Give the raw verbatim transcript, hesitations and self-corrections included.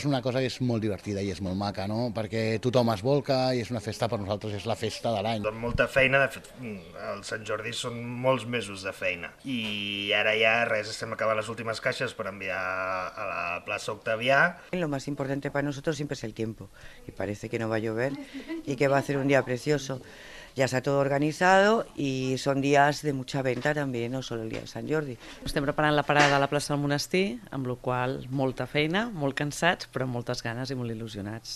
És una cosa que és molt divertida i és molt maca, no? Perquè tothom es volca i és una festa, per nosaltres és la festa de l'any. Amb molta feina, de fet, el Sant Jordi són molts mesos de feina. I ara ja res, estem acabant les últimes caixes per enviar a la plaça Octavià. Lo más importante para nosotros siempre es el tiempo y parece que no va a llover y que va a ser un día precioso. Ya está todo organizado y son días de mucha venta también, no solo el día de Sant Jordi. Estem preparant la parada a la plaça del Monestir, amb la qual cosa molta feina, molt cansats, però amb moltes ganes i molt il·lusionats.